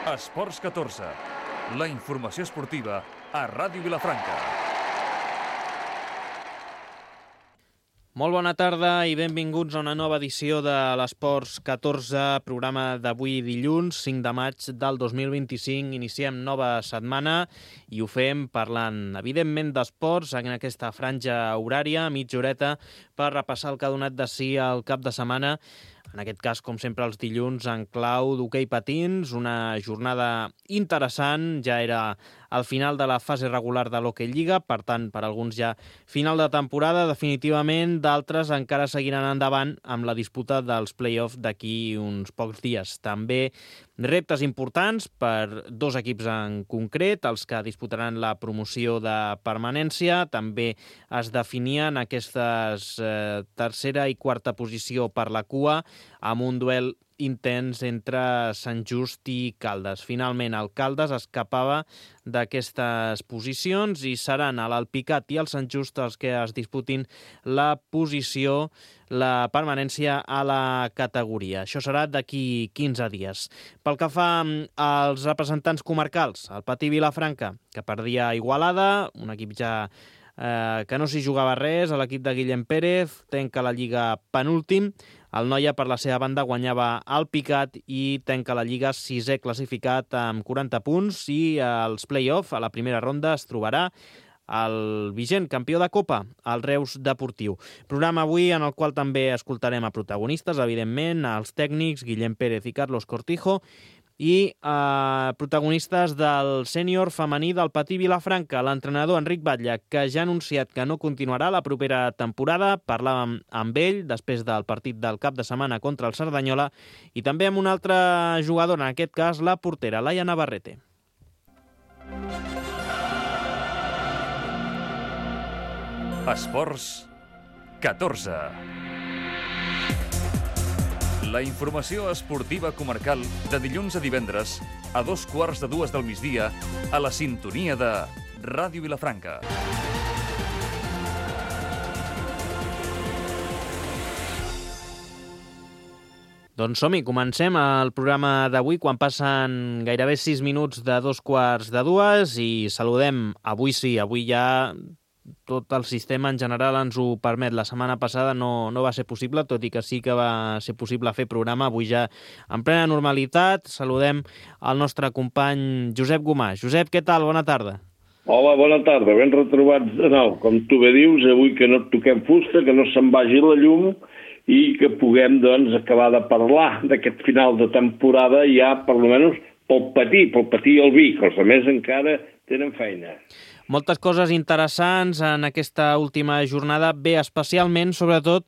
Esports 14, la informació esportiva a Ràdio Vilafranca. Molt bona tarda i benvinguts a una nova edició de l'Esports 14, programa d'avui dilluns, 5 de maig del 2025. Iniciem nova setmana i ho fem parlant, evidentment, d'esports en aquesta franja horària, mitja horeta, per repassar el que ha donat de si el cap de setmana. En aquest cas, com sempre, els dilluns en clau d'hoquei patins, una jornada interessant, ja era al final de la fase regular de l'Hockey Lliga, per tant, per alguns ja final de temporada, definitivament, d'altres encara seguiran endavant amb la disputa dels play-offs d'aquí uns pocs dies. També reptes importants per dos equips en concret, els que disputaran la promoció de permanència. També es definien aquestes tercera i quarta posició per la cua, amb un duel intens entre Sant Just i Caldes. Finalment, el Caldes escapava d'aquestes posicions i seran a l'Alpicat i el Sant Just els que es disputin la posició, la permanència a la categoria. Això serà d'aquí 15 dies. Pel que fa als representants comarcals, el Patí Vilafranca, que perdia a Igualada, un equip ja que no s'hi jugava res, a l'equip de Guillem Pérez, tanca la Lliga penúltim. El Noia, per la seva banda, guanyava el Picat i tanca la Lliga sisè classificat amb 40 punts i als play-off, a la primera ronda, es trobarà el vigent campió de Copa, el Reus Deportiu. Programa avui en el qual també escoltarem a protagonistes, evidentment, els tècnics Guillem Pérez i Carlos Cortijo, i protagonistes del sènior femení del Patí Vilafranca, l'entrenador Enric Batlle, que ja ha anunciat que no continuarà la propera temporada. Parlàvem amb ell després del partit del cap de setmana contra el Cerdanyola i també amb una altra jugadora, en aquest cas la portera, Laia Navarrete. Esports 14. La informació esportiva comarcal de dilluns a divendres a 2:15 del migdia a la sintonia de Ràdio Vilafranca. Doncs som-hi, comencem el programa d'avui quan passen gairebé 6 minuts de 2:15 i saludem, avui sí, avui ja tot el sistema en general ens ho permet. La setmana passada no va ser possible, tot i que sí que va ser possible fer programa. Avui ja en plena normalitat. Saludem el nostre company Josep Gomà. Josep, què tal? Bona tarda. Hola, bona tarda. Ben retrobats de nou. Com tu bé dius, avui que no toquem fusta, que no se'n vagi la llum i que puguem, doncs, acabar de parlar d'aquest final de temporada ja, per almenys, pel Patí i el Vic. Els altres encara tenen feina. Moltes coses interessants en aquesta última jornada, bé, especialment, sobretot,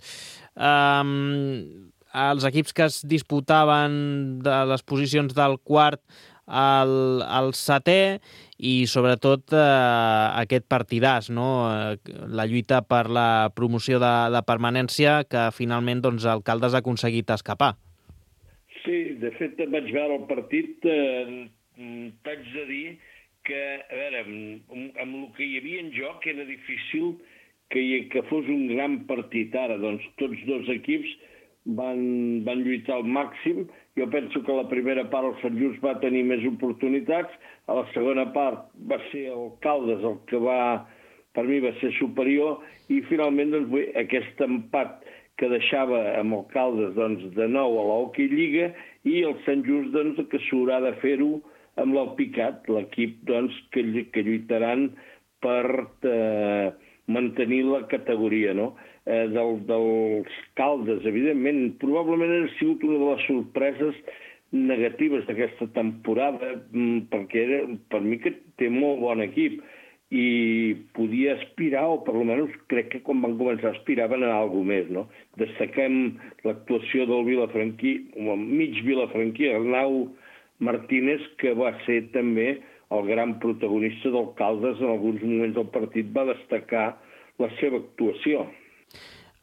els equips que es disputaven de les posicions del quart al setè i, sobretot, aquest partidàs, no? La lluita per la promoció de permanència que, finalment, doncs, el Caldes ha aconseguit escapar. Sí, de fet, vaig veure el partit, t'haig de dir que, a veure, amb el que hi havia en joc era difícil que fos un gran partit. Ara, doncs, tots dos equips van lluitar al màxim. Jo penso que a la primera part el Sant Just va tenir més oportunitats, a la segona part va ser el Caldes el que per mi va ser superior, i finalment, doncs, aquest empat que deixava amb el Caldes, doncs, de nou a l'Hockey Lliga, i el Sant Just, doncs, que s'haurà de fer-ho amb l'Alpicat, l'equip, doncs, que lluitaran per mantenir la categoria, no? Dels Caldes, evidentment, probablement ha sigut una de les sorpreses negatives d'aquesta temporada, perquè per mi que té molt bon equip i podia aspirar, o per almenys crec que quan van començar aspiraven a alguna més, no? Destaquem l'actuació del vilafranquí, o mig vilafranquí, Arnau Martínez, que va ser també el gran protagonista del Caldes. En alguns moments del partit va destacar la seva actuació.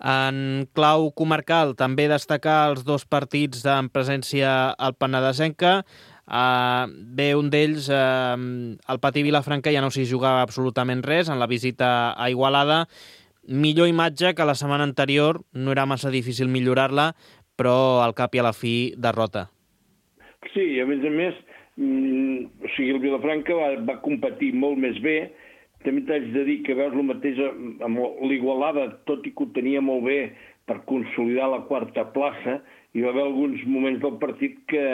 En clau comarcal, també destacar els dos partits en presència al Penedesenca. Bé, un d'ells, el Patí Vilafranca, ja no s'hi jugava absolutament res en la visita a Igualada. Millor imatge que la setmana anterior, no era massa difícil millorar-la, però al cap i a la fi, derrota. Sí, a més, O sigui, el Vilafranca va competir molt més bé. També t'haig de dir que veus el mateix amb l'Igualada, tot i que ho tenia molt bé per consolidar la quarta plaça, hi va haver alguns moments del partit que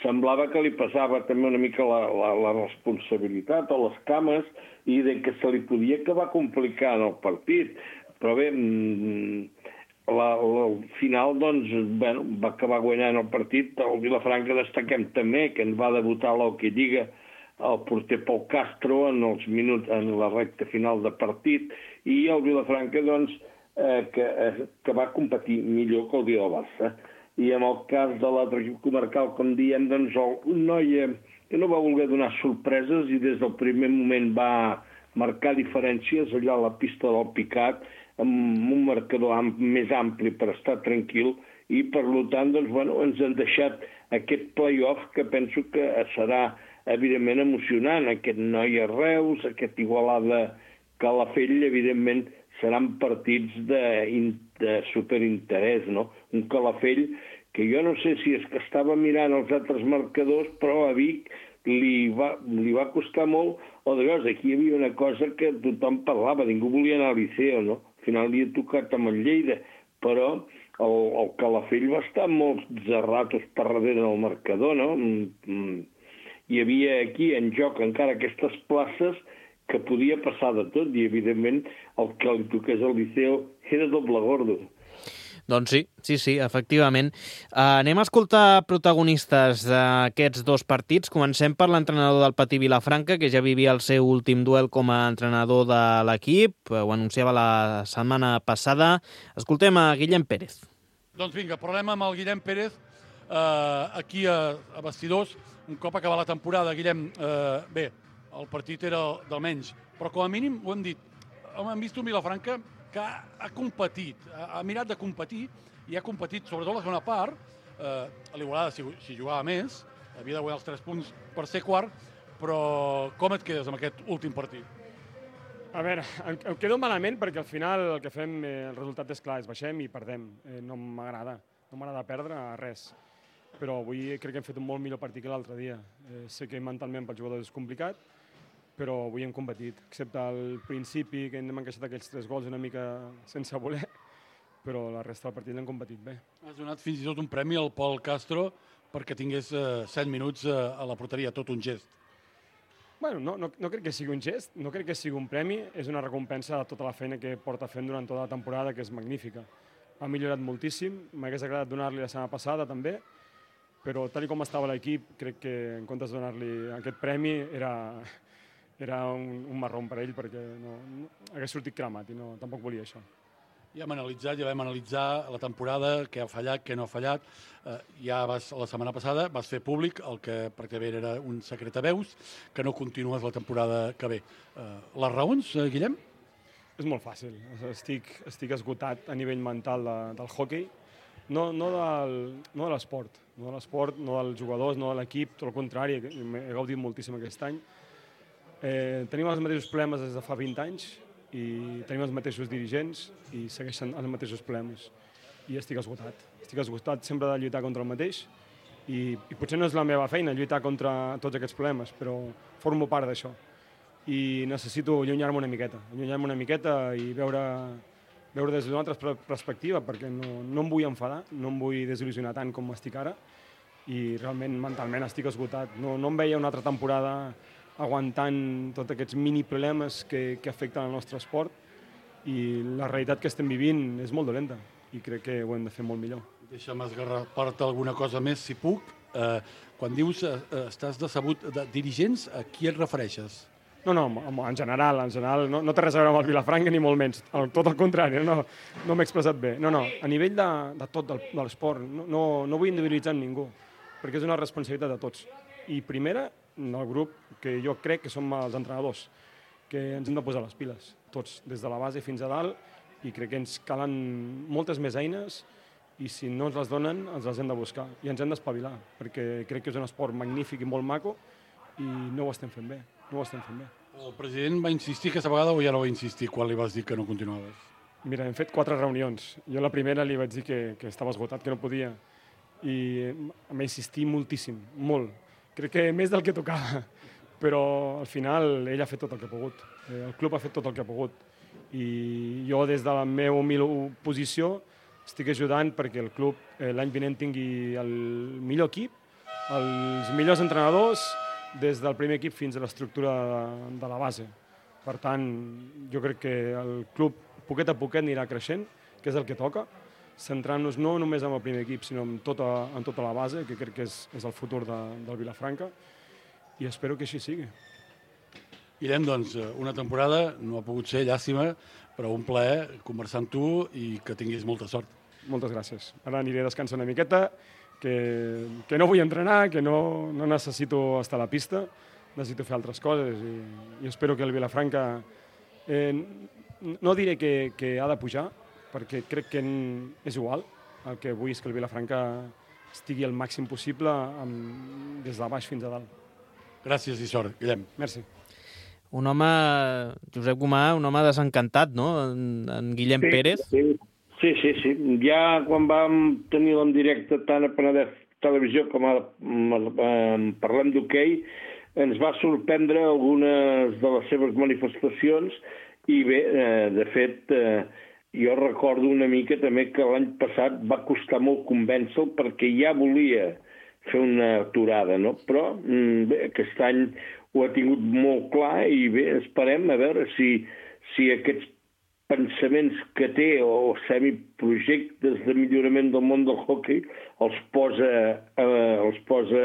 semblava que li passava també una mica la responsabilitat o les cames i de que se li podia acabar complicant el partit. Però bé, al final, doncs, bueno, va acabar guanyant el partit. El Vilafranca destaquem també que en va debutar a l'Hockey Lliga el porter Pol Castro en la recta final de partit, i el Vilafranca, doncs, que va competir millor que el dia del Barça. I en el cas de l'altre equip comarcal, com diem, doncs, un noi que no va voler donar sorpreses i des del primer moment va marcar diferències allà a la pista del Picat, amb un marcador més ampli per estar tranquil, i per tant, doncs, bueno, ens han deixat aquest play-off que penso que serà evidentment emocionant. Aquest noi a Reus, aquest Igualada Calafell, evidentment seran partits de superinterès, no? Un Calafell que jo no sé si és que estava mirant els altres marcadors, però a Vic li va costar molt, o de veure, aquí hi havia una cosa que tothom parlava, ningú volia anar al Liceo, no? Al final li ha tocat amb el Lleida, però el Calafell va estar molts ratos per darrere del marcador, no? Hi havia aquí en joc encara aquestes places que podia passar de tot, i evidentment el que li toqués al Liceo era doble gordo. Doncs sí, efectivament. Anem a escoltar protagonistes d'aquests dos partits. Comencem per l'entrenador del Patí Vilafranca, que ja vivia el seu últim duel com a entrenador de l'equip. Ho anunciava la setmana passada. Escoltem a Guillem Pérez. Doncs vinga, parlem amb el Guillem Pérez aquí a Bastidors. Un cop acabada la temporada, Guillem, bé, el partit era del menys, però com a mínim ho hem dit, hem vist un Vilafranca que ha competit, ha mirat de competir i ha competit, sobretot la segona part. A l'Igualada, si jugava més, havia de guanyar els 3 punts per ser quart, però com et quedes amb aquest últim partit? A veure, em quedo malament perquè al final el que fem, el resultat és clar, és baixem i perdem. No m'agrada perdre res. Però avui crec que hem fet un molt millor partit que l'altre dia. Sé que mentalment pel jugador és complicat, però avui hem competit, excepte al principi, que hem encaixat aquells 3 gols una mica sense voler, però la resta del partit l'hem competit bé. Has donat fins i tot un premi al Pol Castro perquè tingués 7 minuts a la porteria, tot un gest. Bueno, no crec que sigui un gest, no crec que sigui un premi, és una recompensa de tota la feina que porta fent durant tota la temporada, que és magnífica. Ha millorat moltíssim, m'hagués agradat donar-li la setmana passada també, però tal com estava l'equip, crec que en comptes de donar-li aquest premi era un marrón per ell, perquè no hagués sortit cremat i tampoc volia això. Ja vam analitzar la temporada, què ha fallat, què no ha fallat. La setmana passada vas fer públic el que pràcticament era un secret a veus, que no continues la temporada que ve. Les raons, Guillem? És molt fàcil. Estic esgotat a nivell mental del hoquei, no de l'esport, no dels jugadors, no de l'equip, tot el contrari, he gaudit moltíssim aquest any. Tenim els mateixos problemes des de fa 20 anys i tenim els mateixos dirigents i segueixen els mateixos problemes. I estic esgotat. Estic esgotat sempre de lluitar contra el mateix i potser no és la meva feina lluitar contra tots aquests problemes, però formo part d'això. I necessito allunyar-me una miqueta i veure des d'una altra perspectiva, perquè no em vull enfadar, no em vull desil·lusionar tant com estic ara i realment mentalment estic esgotat. No em veia una altra temporada aguantant tots aquests mini problemes que afecten el nostre esport i la realitat que estem vivint és molt dolenta i crec que ho hem de fer molt millor. Deixa'm esgarrapar-te alguna cosa més, si puc. Quan dius estàs decebut de dirigents, a qui et refereixes? No, en general no té res a veure amb el Vilafranca ni molt menys, tot el contrari, no m'he expressat bé. No, a nivell de tot de l'esport, no vull individualitzar amb ningú, perquè és una responsabilitat de tots. I primera, del grup, que jo crec que som els entrenadors, que ens hem de posar les piles, tots, des de la base fins a dalt, i crec que ens calen moltes més eines i si no ens les donen, ens les hem de buscar i ens hem d'espavilar, perquè crec que és un esport magnífic i molt maco i no ho estem fent bé. El president va insistir aquesta vegada o ja no va insistir quan li vas dir que no continuaves? Mira, hem fet 4 reunions. Jo la primera li vaig dir que estava esgotat, que no podia, i em va insistir moltíssim, molt. crec que més del que tocava, però al final ell ha fet tot el que ha pogut, el club ha fet tot el que ha pogut, i jo des de la meva humil posició estic ajudant perquè el club l'any vinent tingui el millor equip, els millors entrenadors, des del primer equip fins a l'estructura de la base. Per tant, jo crec que el club poquet a poquet anirà creixent, que és el que toca, centrant-nos no només en el primer equip, sinó en tota la base, que crec que és el futur del Vilafranca, i espero que així sigui. Guillem, doncs, una temporada no ha pogut ser, llàstima, però un plaer conversar amb tu i que tinguis molta sort. Moltes gràcies. Ara aniré a descansar una miqueta, que no vull entrenar, que no necessito estar a la pista, necessito fer altres coses i espero que el Vilafranca, no diré que ha de pujar, perquè crec que és igual, el que vull és que el Vilafranca estigui el màxim possible des de baix fins a dalt. Gràcies i sort, Guillem. Merci. Un home, Josep Gomà, un home desencantat, no?, en Guillem Pérez. Sí. Ja quan vam tenir en directe tant a Penedès Televisió com a Parlem d'Hoquei, ens va sorprendre algunes de les seves manifestacions i bé, de fet, jo recordo una mica també que l'any passat va costar molt convèncer-lo perquè ja volia fer una aturada, no? Però bé, aquest any ho ha tingut molt clar i bé, esperem a veure si aquests pensaments que té o semiprojectes de millorament del món del hoquei els posa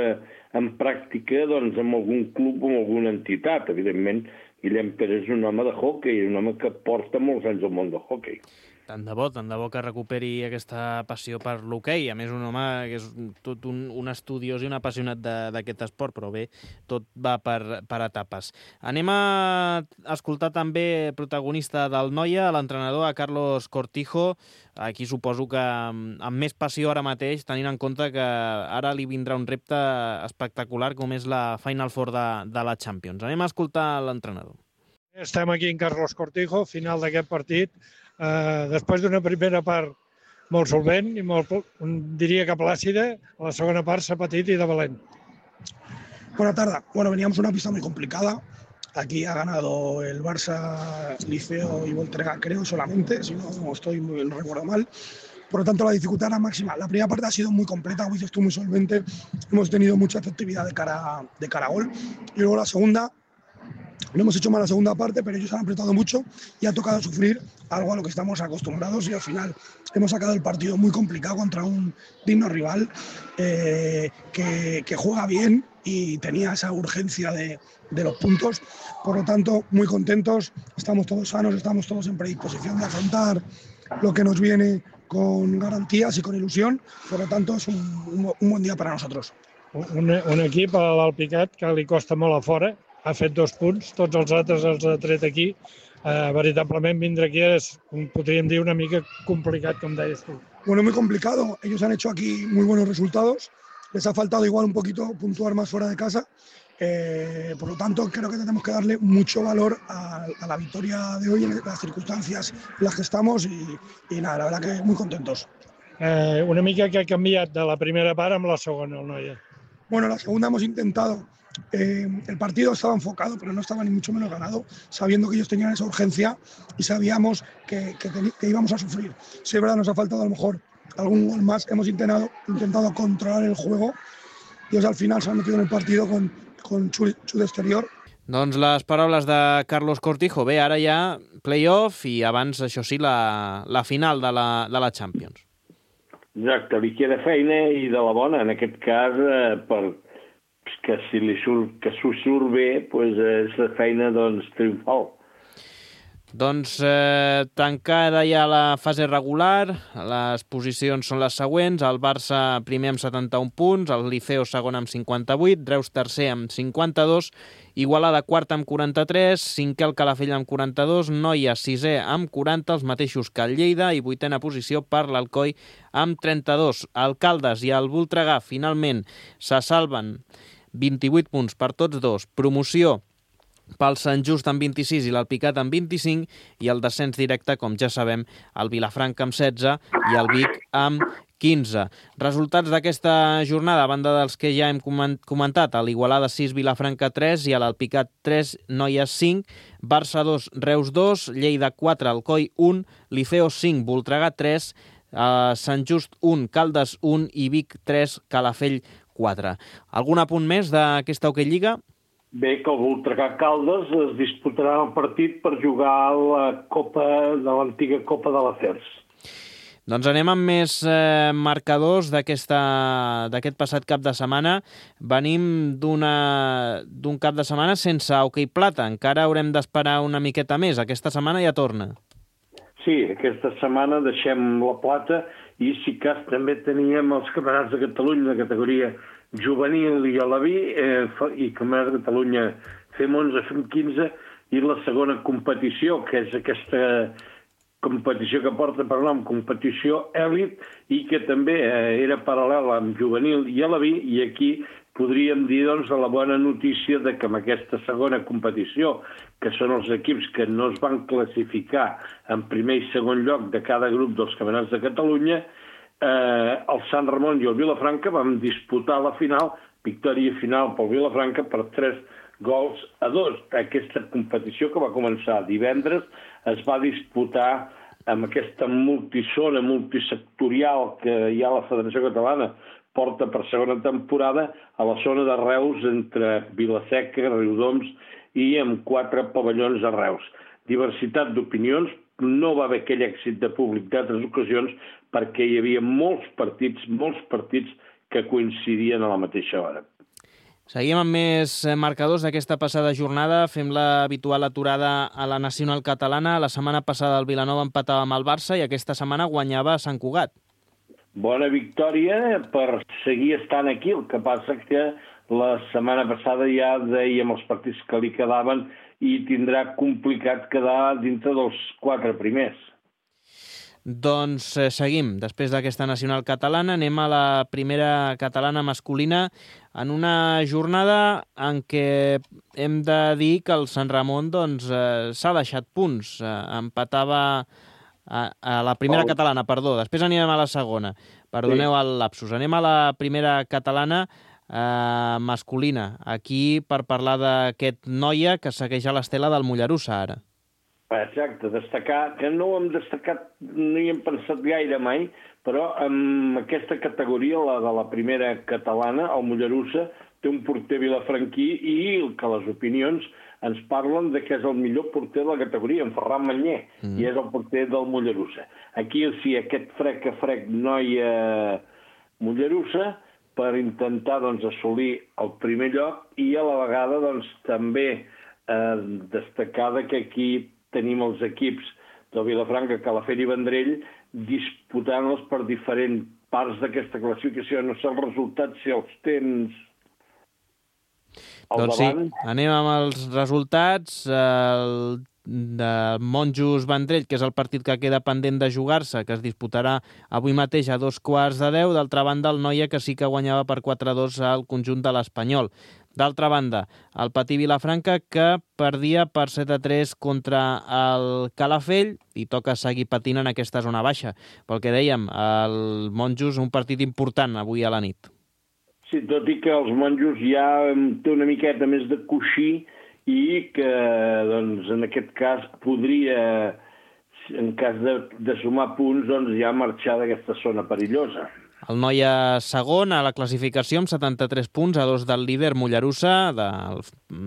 en pràctica doncs, en algun club o en alguna entitat. Evidentment, Guillem Pérez és un home de hoquei, un home que porta molts anys al món del hoquei. Tant de bo que recuperi aquesta passió per l'hoquei. A més, un home que és tot un estudiós i un apassionat d'aquest esport, però bé, tot va per etapes. Anem a escoltar també protagonista del Noia, l'entrenador, a Carlos Cortijo. Aquí suposo que amb més passió ara mateix, tenint en compte que ara li vindrà un repte espectacular com és la Final Four de la Champions. Anem a escoltar l'entrenador. Estem aquí en Carlos Cortijo, final d'aquest partit. Després d'una primera part molt solvent i diría que plàcida, la segunda part s'ha patit i de valent. Buena tarde. Bueno, veníamos una pista muy complicada. Aquí ha ganado el Barça, Liceo y Volterra, creo, solamente, si no no recuerdo mal. Por lo tanto, la dificultad era máxima. La primera parte ha sido muy completa, como dices tú, muy solvente. Hemos tenido mucha efectividad de cara a gol. Y luego la segunda, no hemos hecho mal la segunda parte, pero ellos han apretado mucho y ha tocado sufrir algo a lo que estamos acostumbrados y al final hemos sacado el partido muy complicado contra un digno rival que juega bien y tenía esa urgencia de los puntos. Por lo tanto, muy contentos, estamos todos sanos, estamos todos en predisposición de afrontar lo que nos viene con garantías y con ilusión. Por lo tanto, es un buen día para nosotros. Un equip a l'Alpicat que li costa molt a fora, ha fet 2 punts, tots els altres els ha tret aquí. Veritablement vindre aquí és, podríem dir, una mica complicat, com deies tu. Bueno, muy complicado. Ellos han hecho aquí muy buenos resultados. Les ha faltado igual un poquito puntuar más fuera de casa. Por lo tanto, creo que tenemos que darle mucho valor a la victoria de hoy en las circunstancias en las que estamos y nada, la verdad que muy contentos. Una mica que ha canviat de la primera part amb la segona, el Noia. Bueno, la segunda hemos intentado. El partido estaba enfocado, pero no estaba ni mucho menos ganado, sabiendo que ellos tenían esa urgencia y sabíamos que íbamos a sufrir. Si es verdad, nos ha faltado a lo mejor algún gol más. Hemos intentado controlar el juego y ellos al final se han metido en el partido con xut exterior. Doncs les paraules de Carlos Cortijo. Bé, ara ja play-off i abans, això sí, la final de la Champions. Exacte, li queda feina i de la bona, en aquest cas, que si s'ho surt bé, és la feina triomfal. Doncs tancada ja la fase regular, les posicions són les següents: el Barça primer amb 71 punts, el Liceo segon amb 58, Reus tercer amb 52, Igualada quart amb 43, cinquè el Calafell amb 42, Noia sisè amb 40, els mateixos que el Lleida, i vuitena posició per l'Alcoi amb 32. El Caldes i el Voltregà finalment se salven 28 punts per tots dos. Promoció pel Sant Just amb 26 i l'Alpicat amb 25, i el descens directe, com ja sabem, el Vilafranca amb 16 i el Vic amb 15. Resultats d'aquesta jornada, a banda dels que ja hem comentat, a l'Igualada 6, Vilafranca 3 i a l'Alpicat 3, Noies 5, Barça 2, Reus 2, Lleida 4, Alcoi 1, Liceo 5, Voltregà 3, Sant Just 1, Caldes 1 i Vic 3, Calafell 4. Algun apunt més d'aquesta Hockey Lliga? Bé, que el Voltregà Caldes es disputarà el partit per jugar la Copa de l'antiga Copa de l'Afers. Doncs anem amb més marcadors d'aquest passat cap de setmana. Venim d'un cap de setmana sense hoquei plata. Encara haurem d'esperar una miqueta més. Aquesta setmana ja torna. Sí, aquesta setmana deixem la plata i si cas també teníem els campionats de Catalunya de categoria juvenil i alaví i campionats de Catalunya fem 11, fem 15 i la segona competició, que és aquesta competició que porta per nom competició èlit i que també era paral·lela amb juvenil i alaví, i aquí podríem dir doncs, la bona notícia de que amb aquesta segona competició, que són els equips que no es van classificar en primer i segon lloc de cada grup dels campionats de Catalunya, el Sant Ramon i el Vilafranca van disputar la final, victòria final pel Vilafranca per 3-2. Aquesta competició, que va començar divendres, es va disputar amb aquesta multisectorial que hi ha a la Federació Catalana, porta per segona temporada, a la zona de Reus, entre Vilaseca, Riudoms i amb 4 pavellons a Reus. Diversitat d'opinions, no va haver aquell èxit de públic d'altres ocasions perquè hi havia molts partits que coincidien a la mateixa hora. Seguim amb més marcadors d'aquesta passada jornada. Fem l'habitual aturada a la Nacional Catalana. La setmana passada el Vilanova empatava amb el Barça i aquesta setmana guanyava a Sant Cugat. Bona victòria per seguir estant aquí. El que passa que la setmana passada ja dèiem els partits que li quedaven i tindrà complicat quedar dintre dels 4 primers. Doncs seguim. Després d'aquesta nacional catalana anem a la primera catalana masculina en una jornada en què hem de dir que el Sant Ramon s'ha deixat punts. Empatava a la primera catalana, perdó. Després anirem a la segona. Perdoneu el lapsus. Anem a la primera catalana masculina. Aquí per parlar d'aquest noia que segueix a l'estela del Mollerussa ara. Exacte, destacar, que no ho hem destacat, no hi hem pensat gaire mai, però en aquesta categoria, la de la primera catalana, el Mollerussa té un porter vilafranquí i que les opinions ens parlen de que és el millor porter de la categoria, en Ferran Manyer, i és el porter del Mollerussa. Aquí sí, aquest frec noia Mollerussa per intentar assolir el primer lloc i a la vegada també destacar que aquí tenim els equips del Vilafranca, Calafell i Vendrell disputant-los per diferents parts d'aquesta classificació. No sé els resultats, si els tens al davant. Sí, anem amb els resultats. El de Monjos Vendrell, que és el partit que queda pendent de jugar-se, que es disputarà avui mateix a 9:15. D'altra banda, el Noia, que sí que guanyava per 4-2 al conjunt de l'Espanyol. D'altra banda, el Patí Vilafranca, que perdia per 7-3 contra el Calafell i toca seguir patint en aquesta zona baixa. Pel que dèiem, el Monjos, un partit important avui a la nit. Sí, tot i que els Monjos ja té una miqueta més de coixí i que, en aquest cas, podria, en cas de sumar punts, ja marxar d'aquesta zona perillosa. El Noia segon a la classificació amb 73 punts, a 2 del líder Mollerussa, del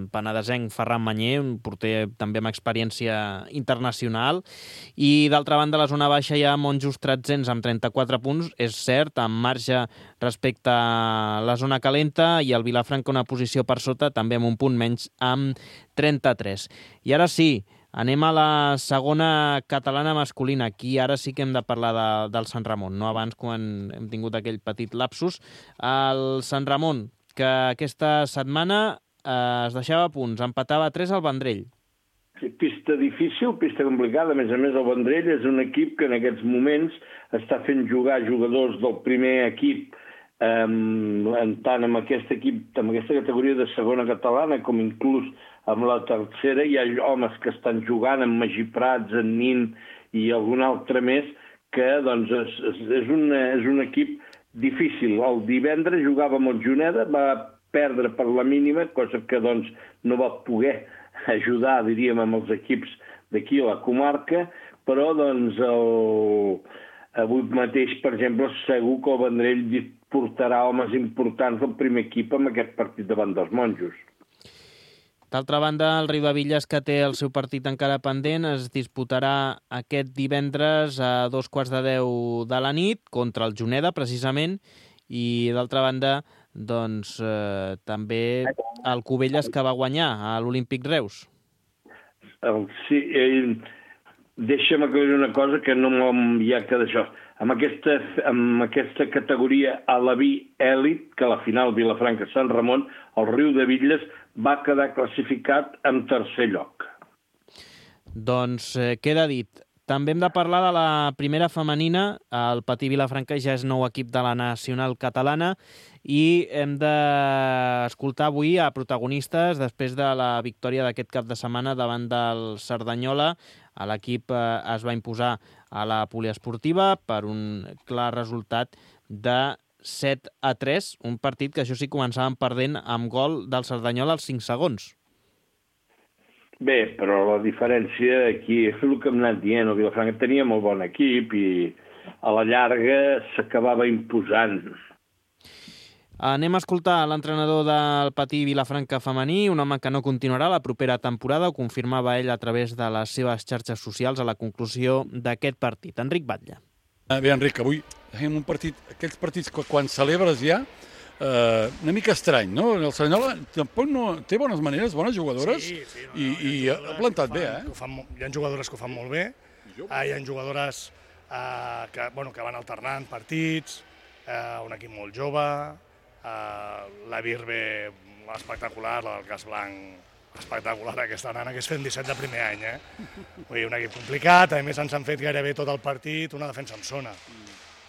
penedesenc Ferran Manyer, un porter també amb experiència internacional. I d'altra banda, a la zona baixa hi ha Monjos Tretzens amb 34 punts, és cert, amb marge respecte a la zona calenta, i el Vilafranca una posició per sota, també amb un punt menys, amb 33. I ara sí, anem a la segona catalana masculina. Aquí ara sí que hem de parlar del Sant Ramon, no abans quan hem tingut aquell petit lapsus. El Sant Ramon, que aquesta setmana es deixava punts, empatava a 3 al Vendrell. Sí, pista difícil, pista complicada. A més, el Vendrell és un equip que en aquests moments està fent jugar jugadors del primer equip, tant amb aquest equip, amb aquesta categoria de segona catalana, com inclús amb la tercera hi ha homes que estan jugant amb Magí Prats, en Nin i algun altre més, que doncs, és un equip difícil. El divendres jugava amb el Juneda, va perdre per la mínima, cosa que doncs, no va poder ajudar, diríem, amb els equips d'aquí a la comarca, però doncs, avui mateix, per exemple, segur que el Vendrell portarà homes importants del primer equip amb aquest partit davant dels Monjos. D'altra banda, el Riudebitlles, que té el seu partit encara pendent, es disputarà aquest divendres a 2:15 de la nit contra el Juneda, precisament, i d'altra banda, doncs, també el Cubelles, que va guanyar a l'Olímpic Reus. Sí, deixa'm aclarir una cosa que no hi ha que d'això. Amb aquesta categoria Alaví Èlit, que a la final Vilafranca-Sant Ramon, el Riudebitlles va quedar classificat en tercer lloc. Doncs queda dit. També hem de parlar de la primera femenina. El Patí Vilafranca ja és nou equip de la nacional catalana i hem d'escoltar avui a protagonistes després de la victòria d'aquest cap de setmana davant del Cerdanyola. L'equip es va imposar a la poliesportiva per un clar resultat de 7-3, un partit que això sí començàvem perdent amb gol del Cerdanyola als 5 segons. Bé, però la diferència aquí és el que hem anat dient. El Vilafranca tenia molt bon equip i a la llarga s'acabava imposant. Anem a escoltar l'entrenador del Patí Vilafranca femení, un home que no continuarà la propera temporada, ho confirmava ell a través de les seves xarxes socials a la conclusió d'aquest partit. Enric Batlle. Bé, Enric, avui tenim un partit, aquells partits que quan celebres ja, una mica estrany, no? El Cerdanyola tampoc no té bones maneres, bones jugadores, i ha plantat bé, eh? Hi ha jugadores que ho fan molt bé, hi ha jugadores que van alternant partits, un equip molt jove, la Virbe espectacular, la del Cas Blanc espectacular, aquesta nana que és fent 17 de primer any, Vull dir, un equip complicat, a més ens han fet gairebé tot el partit, una defensa en zona,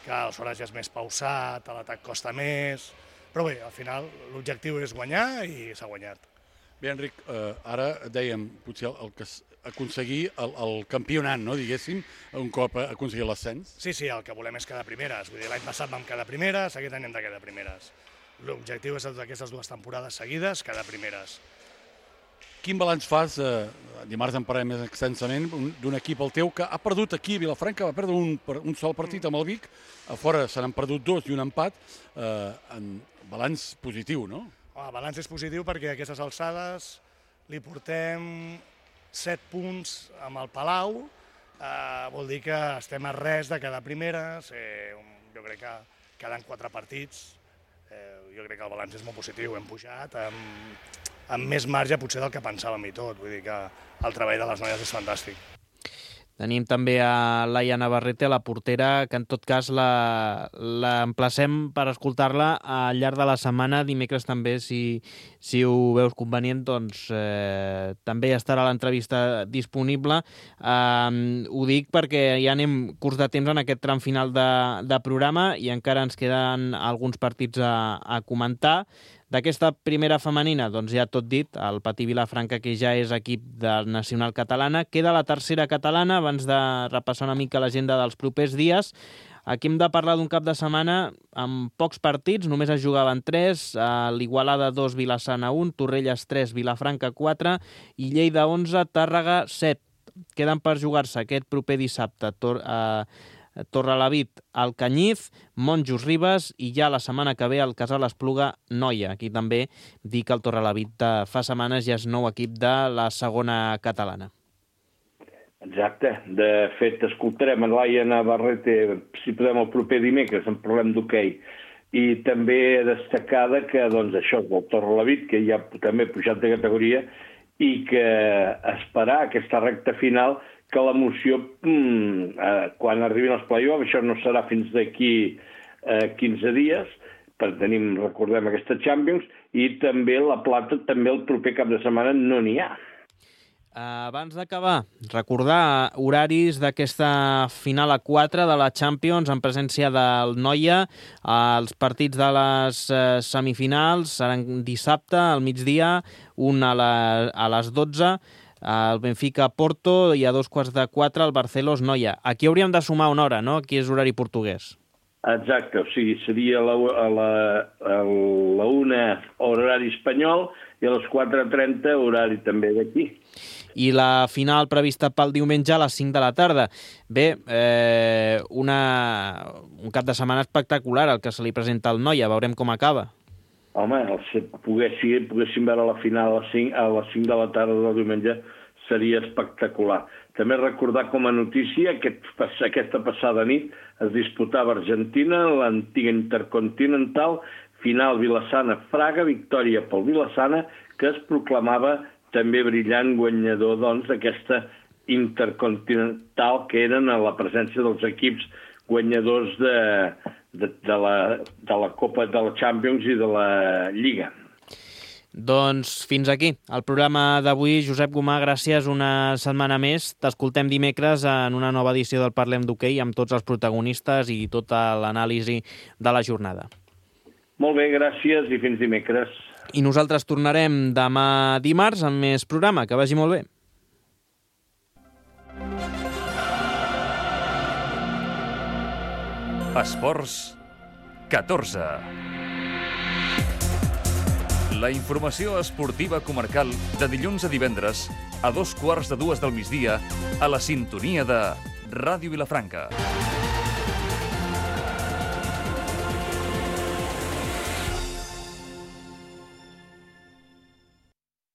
que aleshores ja és més pausat, l'atac costa més, però bé, al final l'objectiu és guanyar i s'ha guanyat. Bé, Enric, ara dèiem, potser aconseguir el campionat, no, diguéssim, un cop aconseguir l'ascens. Sí, el que volem és quedar primeres. Vull dir, l'any passat vam quedar primeres, aquest any hem de quedar primeres. L'objectiu és d'aquestes 2 temporades seguides, quedar primeres. Quin balanç fas, dimarts en parlem més extensament, d'un equip el teu que ha perdut aquí a Vilafranca, va perdre un sol partit amb el Vic, a fora se n'han perdut 2 i un empat, en balanç positiu, no? El balanç és positiu perquè a aquestes alçades li portem 7 punts amb el Palau, vol dir que estem a res de quedar primeres, jo crec que queden 4 partits, jo crec que el balanç és molt positiu, hem pujat amb més marge potser del que pensàvem i tot, vull dir que el treball de les noies és fantàstic. Tenim també a Laia Navarrete, la portera, que en tot cas l'emplacem per escoltar-la al llarg de la setmana. Dimecres també, si ho veus convenient, doncs també estarà l'entrevista disponible. Ho dic perquè ja anem curts de temps en aquest tram final de programa i encara ens queden alguns partits a comentar. D'aquesta primera femenina, doncs ja tot dit, el Patí Vilafranca, que ja és equip de nacional catalana. Queda la tercera catalana, abans de repassar una mica l'agenda dels propers dies. Aquí hem de parlar d'un cap de setmana amb pocs partits, només es jugaven 3, l'Igualada 2, Vilassana 1, Torrelles 3, Vilafranca 4 i Lleida 11, Tàrrega 7. Queden per jugar-se aquest proper dissabte Torrelavit al Canyif, Monjos Ribes i ja la setmana que ve el Casal Espluga Noia. Aquí també dic que el Torrelavit fa setmanes ja és nou equip de la segona catalana. Exacte. De fet, escoltarem a Laia Navarrete, si podem, el proper dimecres, en parlem d'hoquei. I també destacada que, doncs, això, el Torrelavit, que ja també ha pujat de categoria, i que esperar aquesta recta final que l'emoció, quan arribin els play-offs, això no serà fins d'aquí 15 dies, perquè tenim, recordem, aquesta Champions, i també la plata, també el proper cap de setmana no n'hi ha. Abans d'acabar, recordar horaris d'aquesta final a 4 de la Champions en presència del Noia. Els partits de les semifinals seran dissabte al migdia, un a les 12, el Benfica-Porto, i a 3:45 el Barcelos-Noia. Aquí hauríem de sumar una hora, no? Aquí és horari portuguès. Exacte, o sigui, seria a la 1 horari espanyol i a les 4:30 horari també d'aquí. I la final prevista pel diumenge a les 5 de la tarda. Bé, un cap de setmana espectacular el que se li presenta al Noia, veurem com acaba. Home, poguéssim veure la final a les 5 de la tarda del diumenge seria espectacular. També recordar com a notícia que aquesta passada nit es disputava a Argentina, l'antiga Intercontinental, final Vilassana-Fraga, victòria pel Vilassana, que es proclamava també brillant guanyador d'aquesta Intercontinental, que eren a la presència dels equips guanyadors de la Copa de la Champions i de la Lliga. Doncs fins aquí el programa d'avui. Josep Gomà, gràcies una setmana més. T'escoltem dimecres en una nova edició del Parlem d'Hoquei amb tots els protagonistes i tota l'anàlisi de la jornada. Molt bé, gràcies i fins dimecres. I nosaltres tornarem demà dimarts amb més programa. Que vagi molt bé. Esports 14. La informació esportiva comarcal de dilluns a divendres a 2:15 del migdia a la sintonia de Ràdio Vilafranca.